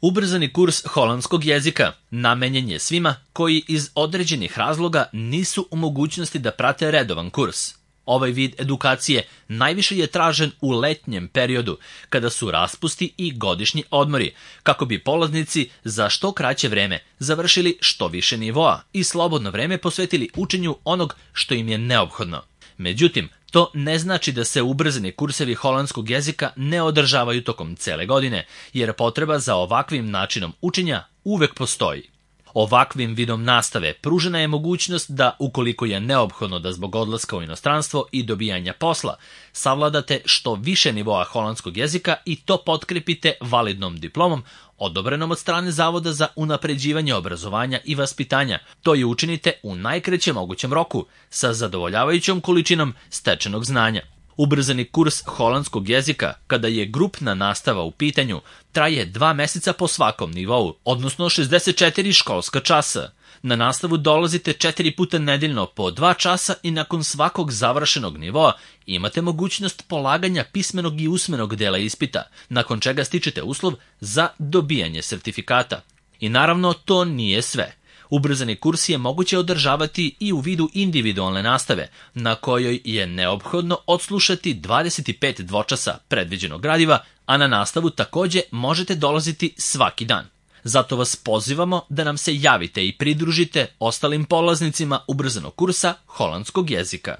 Ubrzani kurs holandskog jezika namenjen je svima koji iz određenih razloga nisu u mogućnosti da prate redovan kurs. Ovaj vid edukacije najviše je tražen u letnjem periodu, kada su raspusti i godišnji odmori, kako bi polaznici za što kraće vreme završili što više nivoa i slobodno vreme posvetili učenju onog što im je neophodno. Međutim, to ne znači da se ubrzani kursevi holandskog jezika ne održavaju tokom cele godine, jer potreba za ovakvim načinom učenja uvek postoji. Ovakvim vidom nastave pružena je mogućnost da, ukoliko je neophodno da zbog odlaska u inostranstvo i dobijanja posla, savladate što više nivoa holandskog jezika i to potkrepite validnom diplomom odobrenom od strane Zavoda za unapređivanje obrazovanja i vaspitanja. To je učinite u najkraćem mogućem roku, sa zadovoljavajućom količinom stečenog znanja. Ubrzani kurs holandskog jezika, kada je grupna nastava u pitanju, traje 2 meseca po svakom nivou, odnosno 64 školska časa. Na nastavu dolazite 4 puta nedeljno po 2 časa i nakon svakog završenog nivoa imate mogućnost polaganja pismenog i usmenog dela ispita, nakon čega stičete uslov za dobijanje sertifikata. I naravno, to nije sve. Ubrzani kurs je moguće održavati i u vidu individualne nastave, na kojoj je neophodno odslušati 25 dvočasa predviđenog gradiva, a na nastavu takođe možete dolaziti svaki dan. Zato vas pozivamo da nam se javite i pridružite ostalim polaznicima ubrzanog kursa holandskog jezika.